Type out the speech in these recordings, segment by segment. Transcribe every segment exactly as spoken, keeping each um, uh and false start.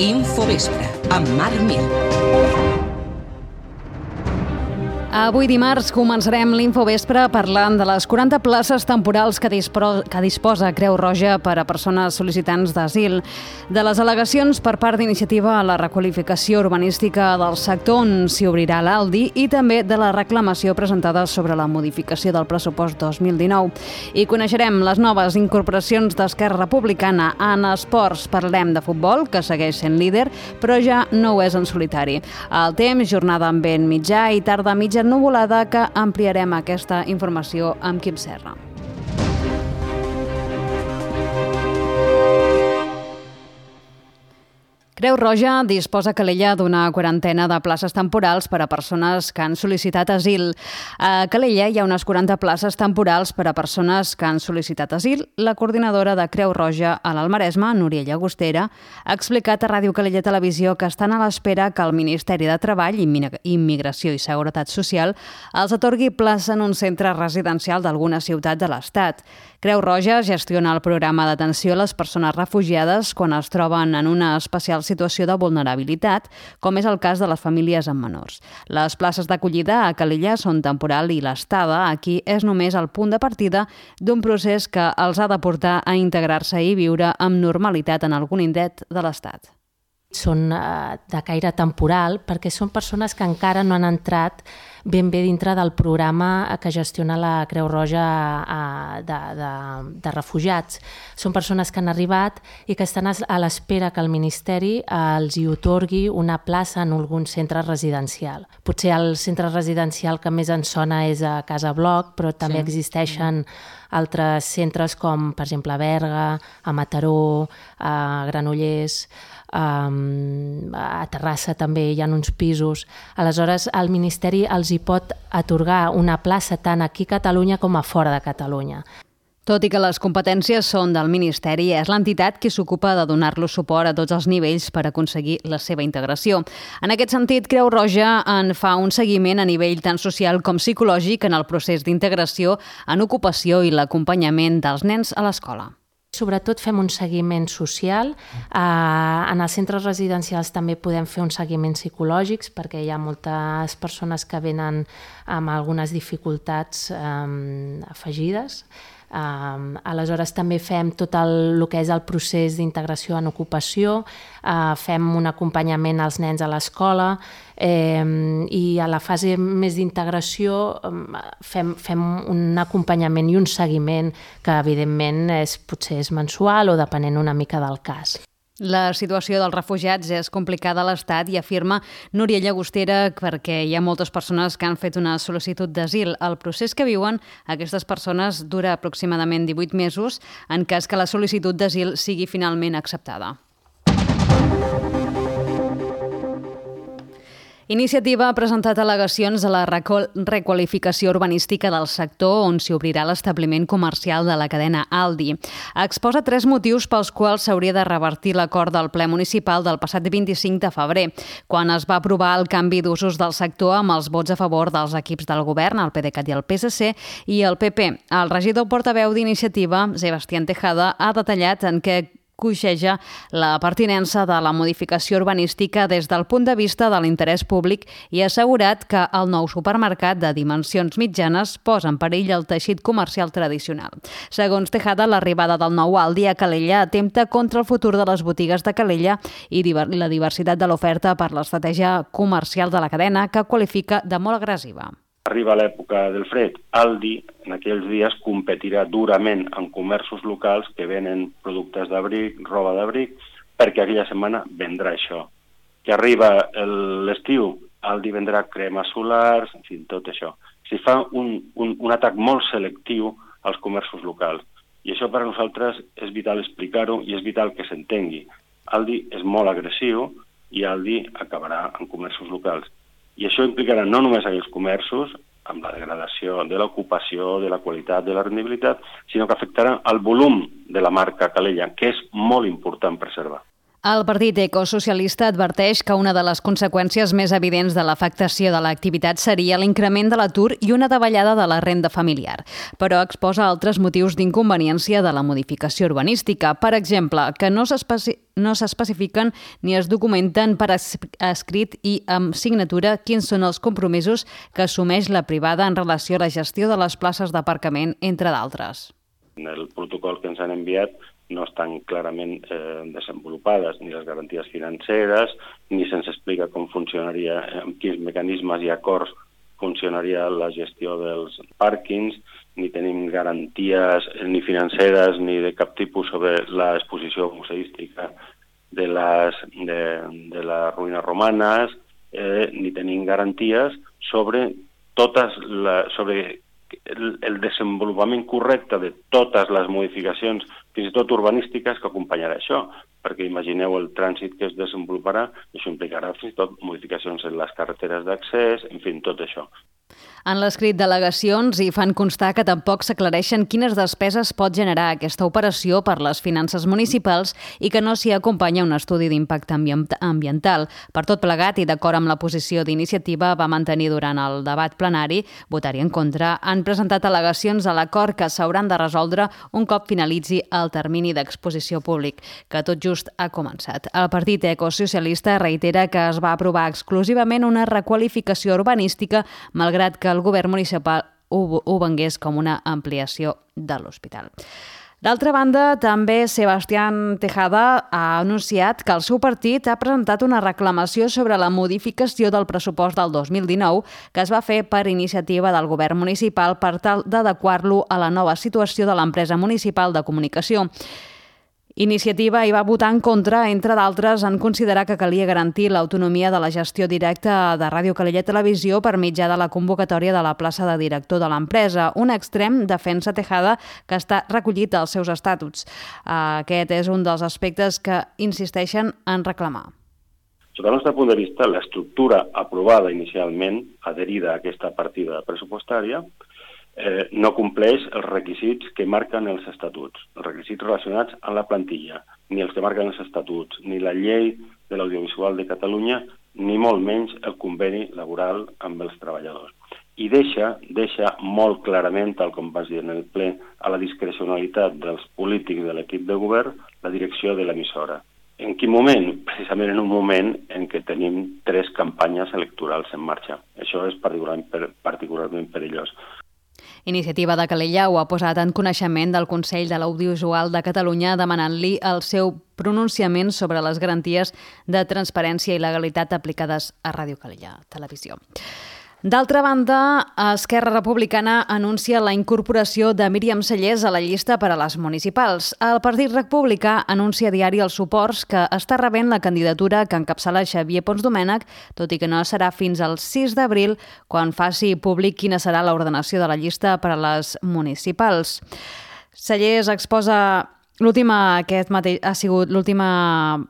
Infovespre, amb Marc Mir. Avui dimarts començarem l'Infovespre parlant de les quaranta places temporals que, dispro- que disposa Creu Roja per a persones sol·licitants d'asil, de les al·legacions per part d'Iniciativa a la requalificació urbanística del sector on s'hi obrirà l'Aldi i també de la reclamació presentada sobre la modificació del pressupost dos mil dinou. I coneixerem les noves incorporacions d'Esquerra Republicana. En esports parlem de futbol, que segueix sent líder, però ja no ho és en solitari. El temps, jornada amb vent mitjà i tarda mitja nuvolada, que ampliarem aquesta informació amb Quim Serra. Creu Roja disposa a Calella d'una quarantena de places temporals per a persones que han sol·licitat asil. A Calella hi ha unes quaranta places temporals per a persones que han sol·licitat asil. La coordinadora de Creu Roja a l'Almaresme, Núria Llagostera, ha explicat a Ràdio Calella Televisió que estan a l'espera que el Ministeri de Treball, Immigració i Seguretat Social els atorgui plaça en un centre residencial d'alguna ciutat de l'Estat. Creu Roja gestiona el programa d'atenció a les persones refugiades quan es troben en una especial situació de vulnerabilitat, com és el cas de les famílies amb menors. Les places d'acollida a Calella són temporal i l'estada aquí és només el punt de partida d'un procés que els ha de portar a integrar-se i viure amb normalitat en algun indret de l'Estat. Són de caire temporal perquè són persones que encara no han entrat ben bé dintre del programa que gestiona la Creu Roja de, de, de refugiats. Són persones que han arribat i que estan a l'espera que el Ministeri els hi atorgui una plaça en algun centre residencial. Potser el centre residencial que més ens sona és a Casa Bloc, però també sí. Existeixen altres centres com, per exemple, a Berga, a Mataró, a Granollers, a Terrassa també hi ha uns pisos. Aleshores, el Ministeri els hi pot atorgar una plaça tant aquí a Catalunya com a fora de Catalunya. Tot i que les competències són del Ministeri, és l'entitat qui s'ocupa de donar-los suport a tots els nivells per aconseguir la seva integració. En aquest sentit, Creu Roja en fa un seguiment a nivell tant social com psicològic en el procés d'integració, en ocupació i l'acompanyament dels nens a l'escola. Sobretot fem un seguiment social. En els centres residencials també podem fer uns seguiments psicològics perquè hi ha moltes persones que venen amb algunes dificultats afegides. Uh, aleshores també fem tot el, el que és el procés d'integració en ocupació, uh, fem un acompanyament als nens a l'escola eh, i a la fase més d'integració um, fem, fem un acompanyament i un seguiment que evidentment és, potser és mensual o depenent una mica del cas. La situació dels refugiats és complicada a l'Estat i afirma Núria Llagostera perquè hi ha moltes persones que han fet una sol·licitud d'asil. El procés que viuen aquestes persones dura aproximadament divuit mesos en cas que la sol·licitud d'asil sigui finalment acceptada. Iniciativa ha presentat al·legacions a la requalificació urbanística del sector on s'hi obrirà l'establiment comercial de la cadena Aldi. Exposa tres motius pels quals s'hauria de revertir l'acord del ple municipal del passat vint-i-cinc de febrer, quan es va aprovar el canvi d'usos del sector amb els vots a favor dels equips del govern, el PDeCAT i el P S C, i el P P. El regidor portaveu d'Iniciativa, Sebastián Tejada, ha detallat en què coixeja la pertinença de la modificació urbanística des del punt de vista de l'interès públic i ha assegurat que el nou supermercat de dimensions mitjanes posa en perill el teixit comercial tradicional. Segons Tejada, l'arribada del nou Aldi a Calella atempta contra el futur de les botigues de Calella i la diversitat de l'oferta per l'estratègia comercial de la cadena, que qualifica de molt agressiva. Arriba l'època del fred. Aldi en aquells dies competirà durament amb comerços locals que venen productes d'abric, roba d'abric, perquè aquella setmana vendrà això. Que arriba l'estiu, Aldi vendrà cremes solars, en fi, tot això. Si fa un, un, un atac molt selectiu als comerços locals. I això per a nosaltres és vital explicar-ho i és vital que s'entengui. Aldi és molt agressiu i Aldi acabarà en comerços locals. I això implicarà no només aquells comerços, amb la degradació de l'ocupació, de la qualitat, de la rendibilitat, sinó que afectarà el volum de la marca Calella, que és molt important preservar. El Partit Ecosocialista adverteix que una de les conseqüències més evidents de l'afectació de l'activitat seria l'increment de l'atur i una davallada de la renda familiar, però exposa altres motius d'inconveniència de la modificació urbanística. Per exemple, que no s'especi- no s'especifiquen ni es documenten per escrit i amb signatura quins són els compromisos que assumeix la privada en relació a la gestió de les places d'aparcament, entre d'altres. En el protocol que ens han enviat no estan clarament eh, desenvolupades ni les garanties financeres, ni se'ns explica com funcionaria, amb quins mecanismes i acords funcionaria la gestió dels pàrquings, ni tenim garanties ni financeres ni de cap tipus sobre l'exposició museística de les, de, de les ruïnes romanes, eh, ni tenim garanties sobre totes la, sobre el, el desenvolupament correcte de totes les modificacions, fins i tot urbanístiques, que acompanyarà això, perquè imagineu el trànsit que es desenvoluparà, això implicarà fins i tot modificacions en les carreteres d'accés, en fi, tot això. En l'escrit d'al·legacions hi fan constar que tampoc s'aclareixen quines despeses pot generar aquesta operació per les finances municipals i que no s'hi acompanya un estudi d'impacte ambiental. Per tot plegat i d'acord amb la posició d'iniciativa va mantenir durant el debat plenari, votar-hi en contra, han presentat al·legacions a l'acord que s'hauran de resoldre un cop finalitzi el termini d'exposició públic, que tot just ha començat. El Partit Ecosocialista reitera que es va aprovar exclusivament una requalificació urbanística, malgrat que el govern municipal ho, ho vengués com una ampliació de l'hospital. D'altra banda, també Sebastián Tejada ha anunciat que el seu partit ha presentat una reclamació sobre la modificació del pressupost del dos mil dinou que es va fer per iniciativa del govern municipal per tal d'adequar-lo a la nova situació de l'empresa municipal de comunicació. Iniciativa hi va votar en contra, entre d'altres, en considerar que calia garantir l'autonomia de la gestió directa de Ràdio Calella Televisió per mitjà de la convocatòria de la plaça de director de l'empresa. Un extrem defensa Tejada que està recollit als seus estatuts. Aquest és un dels aspectes que insisteixen en reclamar. Sota el nostre punt de vista, l'estructura aprovada inicialment, adherida a aquesta partida pressupostària, Eh, no compleix els requisits que marquen els estatuts, els requisits relacionats amb la plantilla, ni els que marquen els estatuts, ni la llei de l'audiovisual de Catalunya, ni molt menys el conveni laboral amb els treballadors. I deixa, deixa molt clarament, tal com vas dir en el ple, a la discrecionalitat dels polítics de l'equip de govern la direcció de l'emissora. En quin moment? Precisament en un moment en què tenim tres campanyes electorals en marxa. Això és particularment, particularment perillós. Iniciativa de Calella ho ha posat en coneixement del Consell de l'Audiovisual de Catalunya demanant-li el seu pronunciament sobre les garanties de transparència i legalitat aplicades a Ràdio Calella Televisió. D'altra banda, Esquerra Republicana anuncia la incorporació de Míriam Cellers a la llista per a les municipals. El Partit Republicà anuncia a diari els suports que està rebent la candidatura que encapçala Xavier Pons Domènech, tot i que no serà fins al sis d'abril quan faci públic quina serà l'ordenació de la llista per a les municipals. Cellers exposa l'última, aquest mateix, ha sigut l'última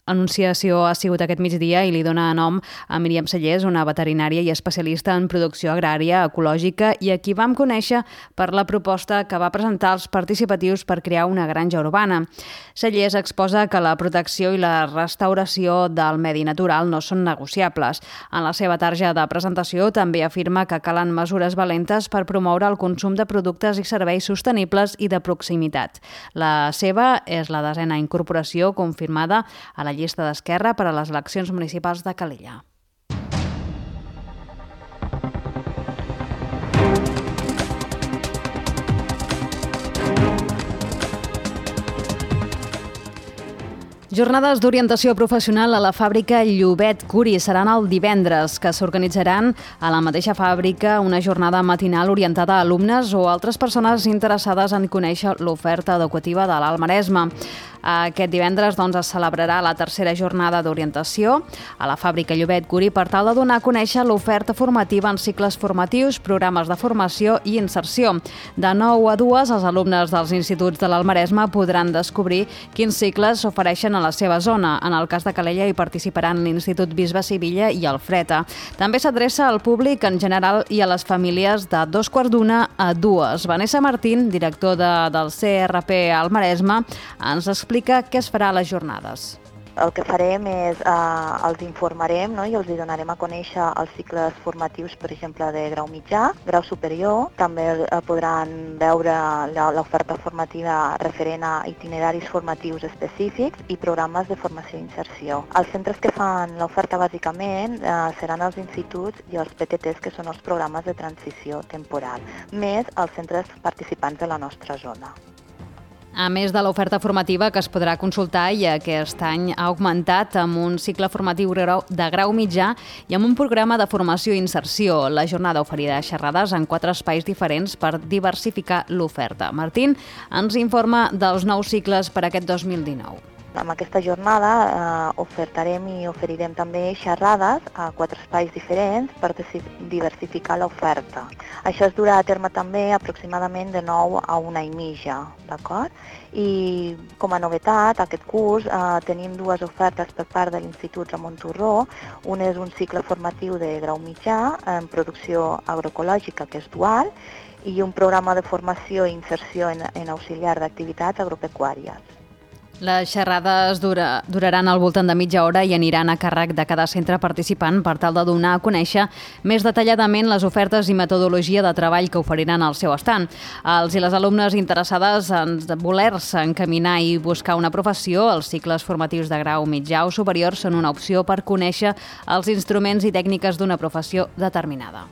anunciació ha sigut aquest migdia i li dona nom a Míriam Cellers, una veterinària i especialista en producció agrària ecològica i a qui vam conèixer per la proposta que va presentar als participatius per crear una granja urbana. Cellers exposa que la protecció i la restauració del medi natural no són negociables. En la seva tarja de presentació també afirma que calen mesures valentes per promoure el consum de productes i serveis sostenibles i de proximitat. La seva és la desena incorporació confirmada a la llista d'Esquerra per a les eleccions municipals de Calella. Jornades d'orientació professional a la fàbrica Llobet Curi seran el divendres, que s'organitzaran a la mateixa fàbrica una jornada matinal orientada a alumnes o altres persones interessades en conèixer l'oferta educativa de l'Alt Maresme. Aquest divendres doncs, es celebrarà la tercera jornada d'orientació a la fàbrica Llobet Curi per tal de donar a conèixer l'oferta formativa en cicles formatius, programes de formació i inserció. De nou a dues, els alumnes dels instituts de l'Alt Maresme podran descobrir quins cicles s'ofereixen a la seva zona. En el cas de Calella hi participaran l'Institut Bisbe Sivilla i el Freta. També s'adreça al públic en general i a les famílies de dos quarts d'una a dues. Vanessa Martín, director de, del C R P Alt Maresme, ens explica què es farà a les jornades. El que farem és, eh, els informarem, no? I els donarem a conèixer els cicles formatius, per exemple, de grau mitjà, grau superior. També eh, podran veure l'oferta formativa referent a itineraris formatius específics i programes de formació i inserció. Els centres que fan l'oferta bàsicament eh, seran els instituts i els P T Ts, que són els programes de transició temporal, més els centres participants de la nostra zona. A més de l'oferta formativa que es podrà consultar i aquest any ha augmentat amb un cicle formatiu de grau mitjà i amb un programa de formació i inserció. La jornada oferirà xerrades en quatre espais diferents per diversificar l'oferta. Martín ens informa dels nous cicles per aquest dos mil dinou. Amb aquesta jornada eh, ofertarem i oferirem també xerrades a quatre espais diferents per diversificar l'oferta. Això es durà a terme també aproximadament de nou a una i mitja, d'acord? I com a novetat, aquest curs eh, tenim dues ofertes per part de l'Institut Ramon Turró. Un és un cicle formatiu de grau mitjà en producció agroecològica, que és dual, i un programa de formació i inserció en, en auxiliar d'activitats agropecuàries. Les xerrades dura, duraran al voltant de mitja hora i aniran a càrrec de cada centre participant per tal de donar a conèixer més detalladament les ofertes i metodologia de treball que oferiran al seu estand. Els i les alumnes interessades en voler-se encaminar i buscar una professió, els cicles formatius de grau mitjà o superior són una opció per conèixer els instruments i tècniques d'una professió determinada.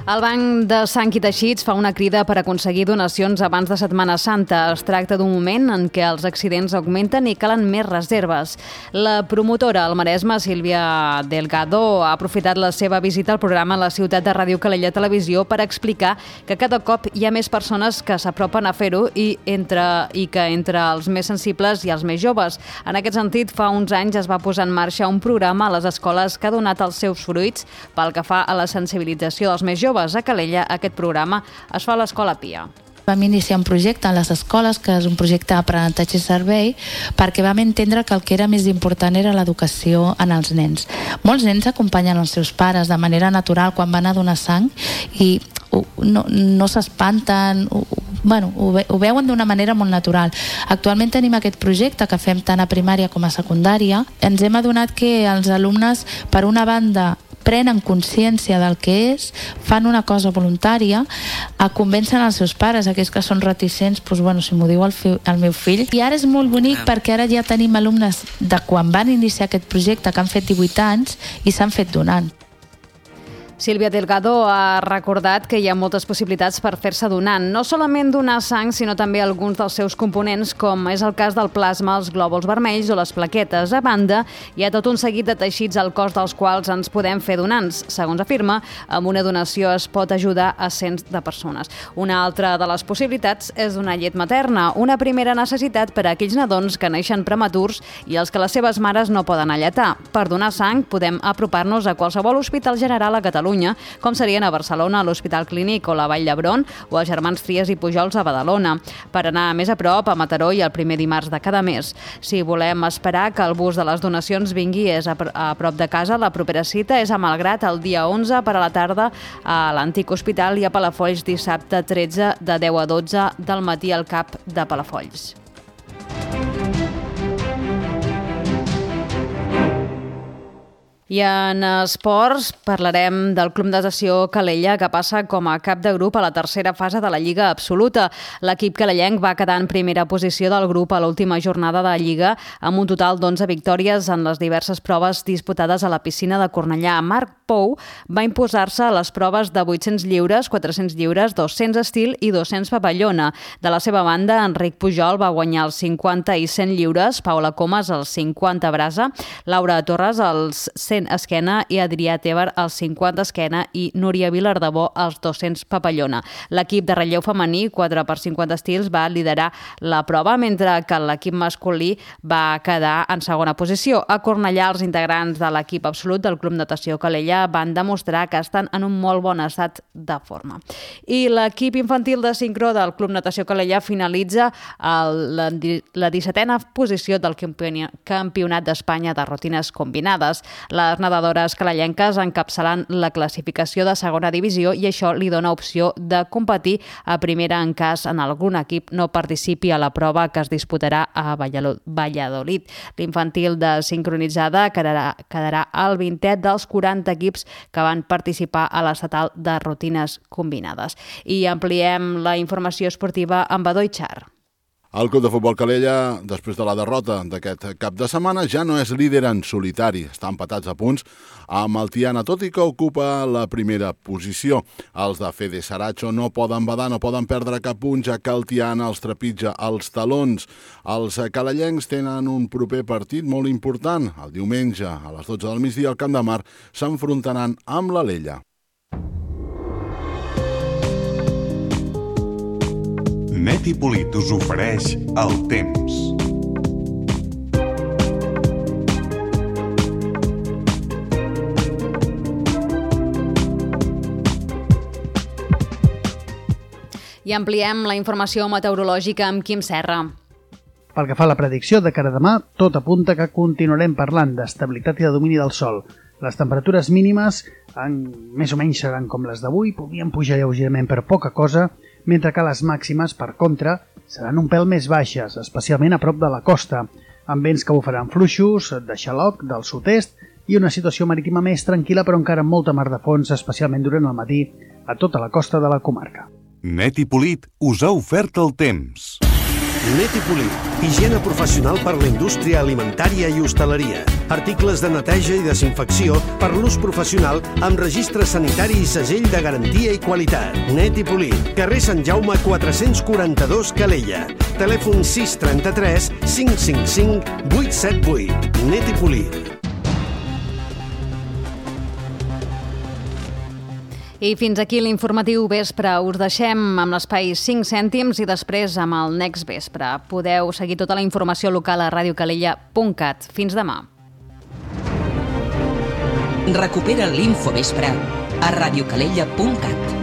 El Banc de Sang i Teixits fa una crida per aconseguir donacions abans de Setmana Santa. Es tracta d'un moment en què els accidents augmenten i calen més reserves. La promotora al Maresme, Sílvia Delgado, ha aprofitat la seva visita al programa La Ciutat de Ràdio Calella Televisió per explicar que cada cop hi ha més persones que s'apropen a fer-ho i, entre, i que entre els més sensibles i els més joves. En aquest sentit, fa uns anys es va posar en marxa un programa a les escoles que ha donat els seus fruits pel que fa a la sensibilització dels més joves. A Calella, aquest programa es fa a l'Escola Pia. Vam iniciar un projecte a les escoles, que és un projecte d'aprenentatge i servei, perquè vam entendre que el que era més important era l'educació en els nens. Molts nens acompanyen els seus pares de manera natural quan van a donar sang i no, no s'espanten, bueno, ho, ve, ho veuen d'una manera molt natural. Actualment tenim aquest projecte que fem tant a primària com a secundària. Ens hem adonat que els alumnes, per una banda, prenen consciència del que és, fan una cosa voluntària, convencen els seus pares, aquells que són reticents, doncs, bueno, si m'ho diu el, fi, el meu fill. I ara és molt bonic perquè ara ja tenim alumnes de quan van iniciar aquest projecte que han fet divuit anys i s'han fet donant. Sílvia Delgado ha recordat que hi ha moltes possibilitats per fer-se donant, no solament donar sang, sinó també alguns dels seus components, com és el cas del plasma, els glòbuls vermells o les plaquetes. A banda, hi ha tot un seguit de teixits al cos dels quals ens podem fer donants. Segons afirma, amb una donació es pot ajudar a cents de persones. Una altra de les possibilitats és donar llet materna, una primera necessitat per a aquells nadons que neixen prematurs i els que les seves mares no poden alletar. Per donar sang podem apropar-nos a qualsevol hospital general a Catalunya, com serien a Barcelona, a l'Hospital Clínic o la Vall d'Hebron, o a Germans Trias i Pujols a Badalona, per anar més a prop a Mataró i el primer dimarts de cada mes. Si volem esperar que el bus de les donacions vingui és a, a prop de casa, la propera cita és a Malgrat el dia onze per a la tarda a l'Antic Hospital i a Palafolls dissabte tretze de deu a dotze del matí al CAP de Palafolls. I en esports parlarem del Club Natació Calella, que passa com a cap de grup a la tercera fase de la Lliga Absoluta. L'equip calellenc va quedar en primera posició del grup a l'última jornada de la Lliga, amb un total d'onze victòries en les diverses proves disputades a la piscina de Cornellà. Marc Pou va imposar-se a les proves de vuit-cents lliures, quatre-cents lliures, dos-cents estil i dos-cents papallona. De la seva banda, Enric Pujol va guanyar els cinquanta i cent lliures, Paula Comas els cinquanta brasa, Laura Torres els cent esquena i Adrià Tebar els cinquanta esquena i Núria Vilardebó els dos-cents papallona. L'equip de relleu femení, quatre per cinquanta estils, va liderar la prova, mentre que l'equip masculí va quedar en segona posició. A Cornellà, els integrants de l'equip absolut del Club Natació Calella van demostrar que estan en un molt bon estat de forma. I l'equip infantil de sincró del Club Natació Calella finalitza el, la, la dissetena posició del Campionat d'Espanya de rutines combinades. La Les nedadores calellenques encapçalen la classificació de segona divisió i això li dona opció de competir a primera en cas en algun equip no participi a la prova que es disputarà a Valladolid. L'infantil de sincronitzada quedarà, quedarà al vintè dels quaranta equips que van participar a l'estatal de rutines combinades. I ampliem la informació esportiva amb Badoi Char. El Club de Futbol Calella, després de la derrota d'aquest cap de setmana, ja no és líder en solitari. Està empatats a punts amb el Tiana, tot i que ocupa la primera posició. Els de Fede Saracho no poden badar, no poden perdre cap punt, ja que el Tiana els trepitja els talons. Els calellencs tenen un proper partit molt important. El diumenge, a les dotze del migdia, al Camp de Mar, s'enfrontaran amb l'Alella. Net i Polit us ofereix el temps. I ampliem la informació meteorològica amb Quim Serra. Pel que fa a la predicció de cara a demà, tot apunta que continuarem parlant d'estabilitat i de domini del sol. Les temperatures mínimes en, més o menys seran com les d'avui, podrien pujar lleugerament per poca cosa, mentre que les màximes, per contra, seran un pèl més baixes, especialment a prop de la costa, amb vents que bufaran fluixos, de xaloc, del sud-est, i una situació marítima més tranquil·la però encara amb molta mar de fons, especialment durant el matí, a tota la costa de la comarca. Net i Polit us ha ofert el temps. Net i Polit, higiene professional per la indústria alimentària i hostaleria. Articles de neteja i desinfecció per l'ús professional amb registre sanitari i segell de garantia i qualitat. Net i Polit, carrer Sant Jaume quatre-cents quaranta-dos, Calella. Telèfon sis trenta-tres cinc cinc cinc vuit set vuit. Net i Polit. I fins aquí l'informatiu vespre. Us deixem amb l'espai cinc cèntims i després amb el Next Vespre. Podeu seguir tota la informació local a ràdio calella punt cat. Fins demà. Recupera l'Infovespre a radiocalella punt cat.